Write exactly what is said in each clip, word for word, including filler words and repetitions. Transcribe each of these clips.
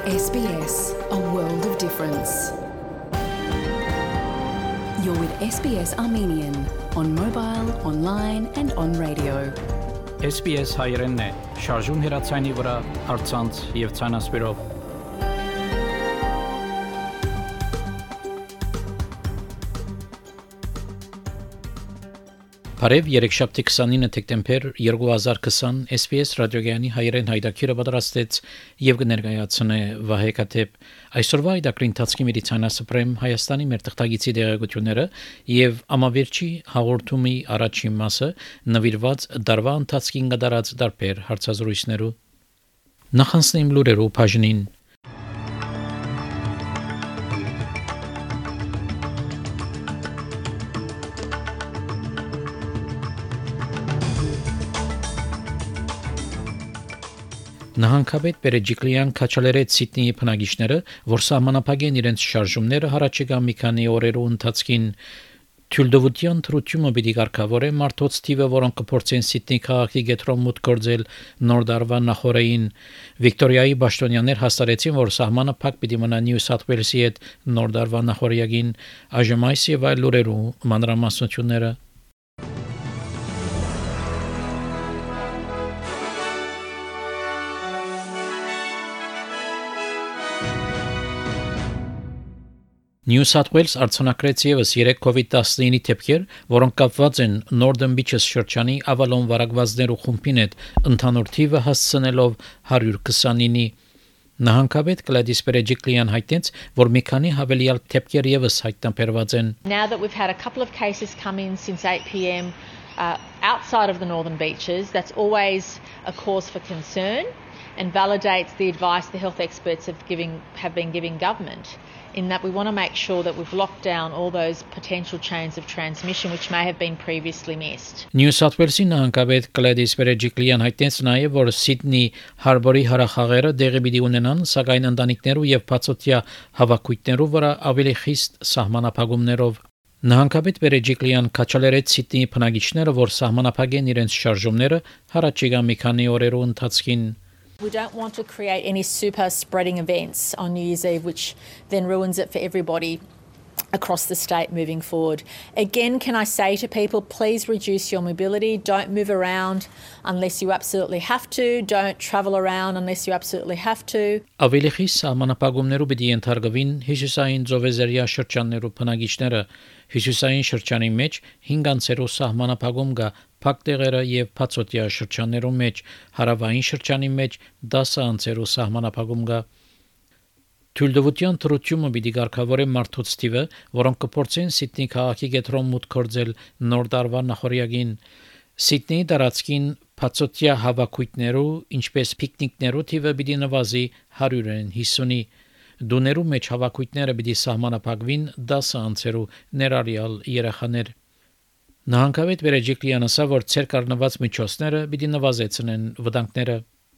S B S, a world of difference. You're with S B S Armenian on mobile, online and on radio. S B S հայերենն է, շարժուն հեռացանի վրա, առցանց եւ ցանասպիրով։ Բարև երեքշաբթի քսանինը դեկտեմբեր երկու հազար քսան S B S ռադիոգյանի հայերեն հայտակիրը պատրաստեց եւ կներկայացնե Վահե Կաթեփ այսօրվա հայտակրի ընթացքի մեդիցինասպրեմ Հայաստանի մեր թղթագիտի դերակցությունները եւ ամավերջի հաղորդումի առաջին մասը նվիրված դարվա ընթացքին կդարած դարբեր հարցազրույցներու նախանցնեմ լուրերու բաժնին Նահանգապետ Պերեջիկլյան քաչալերեց Սիդնեի բնակիչները, որ սահմանափակեն իրենց շարժումները հառաջիկա մի քանի օրերու ընթացքին Թյուլդովության թրությունը պիտի կարգավորե մարդոց թիվը, որոնք կփորձեն Սիդնեի քաղաքի գետրոն մուտք գործել նոր դարվա նախօրեին Վիկտորիայի պաշտոնյաներ հաստատեցին, որ սահմանը փակ պիտի մնա Նյու Սաութ Ուելսի հետ նոր դարվա նախօրեին այժմ այս եւ այլ լուրերու մանրամասնությունները New South Wales արձանագրեց եւս երեք COVID nineteen դեպքեր, որոնք կապված են Northern Beaches շրջանի Avalon վարակվածներու խումբին հետ, ընդհանուր թիվը հասցնելով one hundred twenty-nine-ի։ Նահանգապետ Գլադիս Պերեջիկլյան հայտնեց, որ մի քանի հավելյալ դեպքեր եւս հայտնաբերված են։ Now that we've had a couple of cases come in since eight p m uh, outside of the Northern Beaches, that's always a cause for concern and validates the advice the health experts have giving have been giving government. In that we want to make sure that we've locked down all those potential chains of transmission which may have been previously missed. New South Wales-ի նահանգապետ Գլադիս Պերեջիկլյան հայտնեց նաև, որ Սիդնեի Հարբորի հարախաղերը դեղի պիտի ունենան, սակայն ընտանիքներու եւ բացօթյա հավաքույթներու վրա ավելի խիստ սահմանափակումներով։ Նահանգապետ Պերեջիկլյան քաչալերեց Սիդնեի բնակիչները, որ սահմանափակեն իրենց շարժումները հառաջիկա մի քանի օրերու ընթացքին։ We don't want to create any super spreading events on New Year's Eve, which then ruins it for everybody across the state moving forward. Again, can I say to people, please reduce your mobility. Don't move around unless you absolutely have to. Don't travel around unless you absolutely have to. Ավելի խիստ սահմանափակումներու պիտի ենթարկվին հյուսիսային ծովեզերյա շրջաններու բնակիչները։ Հյուսիսային շրջանի մեջ հինգ անցերու սահմանափակում կա փակ տեղերը եւ բացօթյա շրջաններու մեջ, հարավային շրջանի մեջ դասը անցերու սահմանափակում կա։ Թյուլդովության թրությունը պիտի կարգավորե մարդոց թիվը, որոնք կփորձեն Սիդնեի քաղաքի գետրոն մուտք գործել նոր դարվա նախօրյակին։ Սիդնեի տարածքին բացօթյա հավաքույթներու, ինչպես պիկնիկներու թիվը պիտի նվազի one hundred fifty-ի։ Դուներու մեջ հավաքույթները պիտի սահմանափակվին դասը անցերու ներառյալ երեխաներ։ Նահանգապետ Պերեջիկլյանը ասա, որ ցերկ առնված միջոցները պիտի նվազեցնեն վտանգները։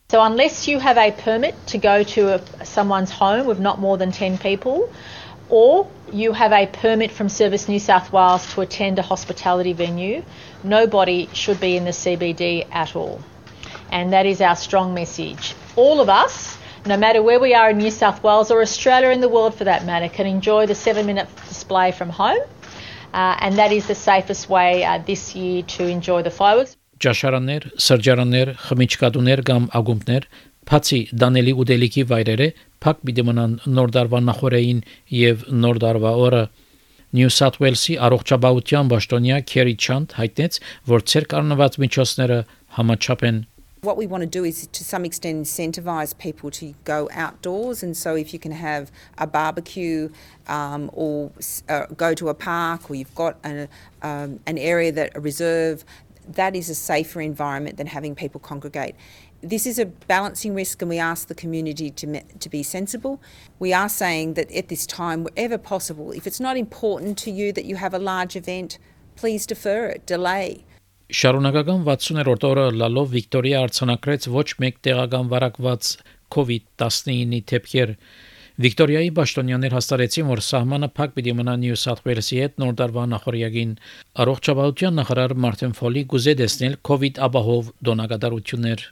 So unless you have a permit to go to a, someone's home with not more than ten people, or you have a permit from Service New South Wales to attend a hospitality venue, nobody should be in the C B D at all. And that is our strong message. All of us, no matter where we are in New South Wales or Australia in the world for that matter, can enjoy the seven-minute display from home. Uh, and that is the safest way uh, this year to enjoy the fireworks. Ճաշարաններ, սրճարաններ, խմիչքադուներ կամ ագումբներ, բացի դանելի ուտելիքի վայրերը, փակ պիտի մնան նոր դարվա նախօրեին եւ նոր դարվա օրը։ New South Wales-ի առողջապահության պաշտոնյա Քերի Չանդ հայտնեց, որ ցերկ առնված միջոցները համաչափ են։ What we want to do is to some extent incentivize people to go outdoors, and so if you can have a barbecue um, or uh, go to a park, or you've got an, um, an area that a reserve, that is a safer environment than having people congregate. This is a balancing risk, and we ask the community to, to be sensible. We are saying that at this time, wherever possible, if it's not important to you that you have a large event, please defer it, delay. Շարունակական վաթսուներորդ օրը լալով Վիկտորիա արձանագրեց ոչ մեկ տեղական վարակված COVID nineteen դեպքեր։ Վիկտորիայի պաշտոնյաներ հաստատեցին, որ սահմանը փակ պիտի մնա Նյու Սաութ Ուելսի հետ նոր դարվա նախօրյակին։ Առողջապահության նախարար Մարտին Ֆոլի գուզե տեսնել COVID ապահով դոնակատարություններ։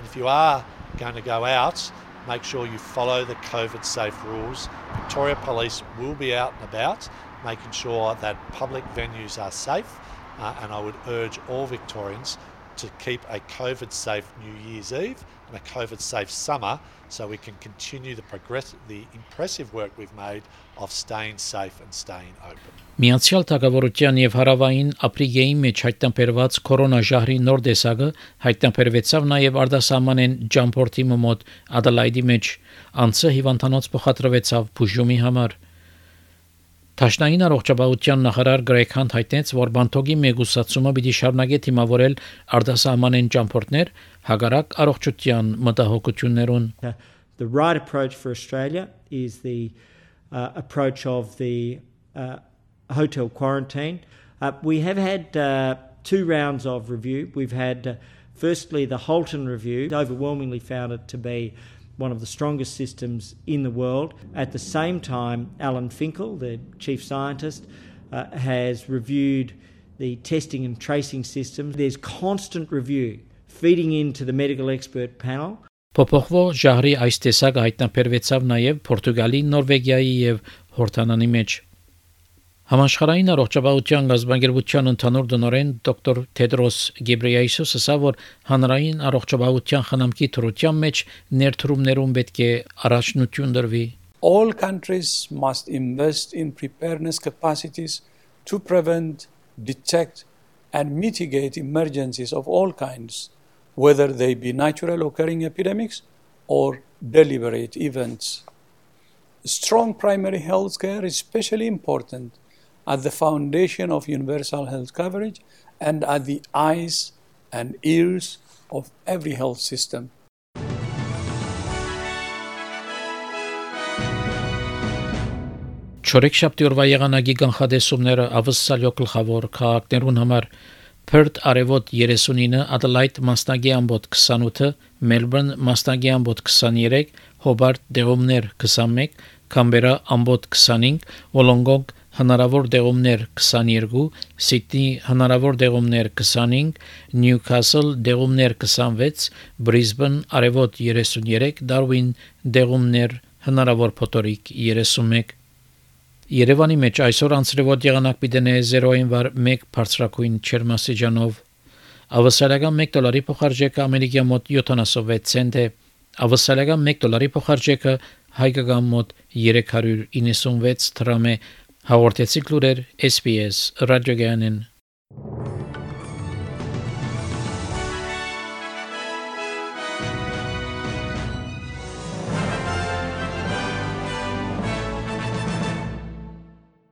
If you are going to go out, make sure you follow the COVID safe rules. Victoria Police will be out and about, making sure that public venues are safe, uh, and I would urge all Victorians to keep a COVID safe New Year's Eve and a COVID safe summer so we can continue the progress, the impressive work we've made of staying safe and staying open. Միացյալ Թագավորության եւ Հարավային Աֆրիկայի մեջ հայտնաբերված կորոնաժահրի նոր տեսակը հայտնաբերվեցավ նաեւ արտասահմանեն ջամփորտի մոտ Ադելայդի մեջ անցը հիվանդանոց փոխադրվեցավ բուժումի համար։ Տաշնային առողջապահության նախարար Գրեգ Հանտ հայտնեց, որ բանթոգի մեգուսացումը պիտի շարունակի թիմավորել արտասահմանեն ջամփորտներ հագարակ առողջության մտահոգություններուն։ The right approach for Australia is the uh, approach of the uh, hotel quarantine. Uh, we have had uh, two rounds of review. We've had, uh, firstly, the Holton review, overwhelmingly found it to be one of the strongest systems in the world. At the same time, Alan Finkel, the chief scientist, uh, has reviewed the testing and tracing systems. There's constant review feeding into the medical expert panel. Փոփոխվող ժահրի այս տեսակը հայտնաբերվեցավ նաև Պորտուգալի, Նորվեգիայի եւ Հորդանանի մեջ։ Համաշխարհային առողջապահության գազբանգերության ընդհանուր տնօրեն դոկտոր Թեդրոս Գեբրեյեսուսը ասա, որ հանրային առողջապահության խնամքի թրության մեջ ներդրումներում պետք է առաջնություն դրվի։ All countries must invest in preparedness capacities to prevent, detect and mitigate emergencies of all kinds, whether they be natural occurring epidemics or deliberate events. Strong primary health care is especially important at the foundation of universal health coverage and at the eyes and ears of every health system. Չորեքշաբթի օրվա եղանակի կանխատեսումները ավսալյո գլխավոր քաղաքներուն համար Perth արևոտ երեսունինը, Adelaide մասնագի ամբոտ քսանութը, Melbourne մասնագի ամբոտ քսաներեք, Hobart դեղումներ քսանմեկ, Canberra ամբոտ քսանհինգ, Wollongong հնարավոր դեղումներ քսաներկու, Sydney հնարավոր դեղումներ քսանհինգ, Newcastle դեղումներ քսանվեց, Brisbane արևոտ երեսուներեք, Darwin դեղումներ հնարավոր փոթորիկ երեսունմեկ։ Երևանի մեջ այսօր անցրևոտ եղանակ պիտենե զերոյին վար մեկ բարձրակույն չերմասիջանով։ Ավսալական մեկ դոլարի փոխարժեքը ամերիկյան մոտ յոթանասունվեց ցենտ է։ Ավսալական մեկ դոլարի փոխարժեքը հայկական մոտ երեք հարյուր իննսունվեց դրամ է։ Հաղորդեցի լուրեր S B S ռադիոգյանեն։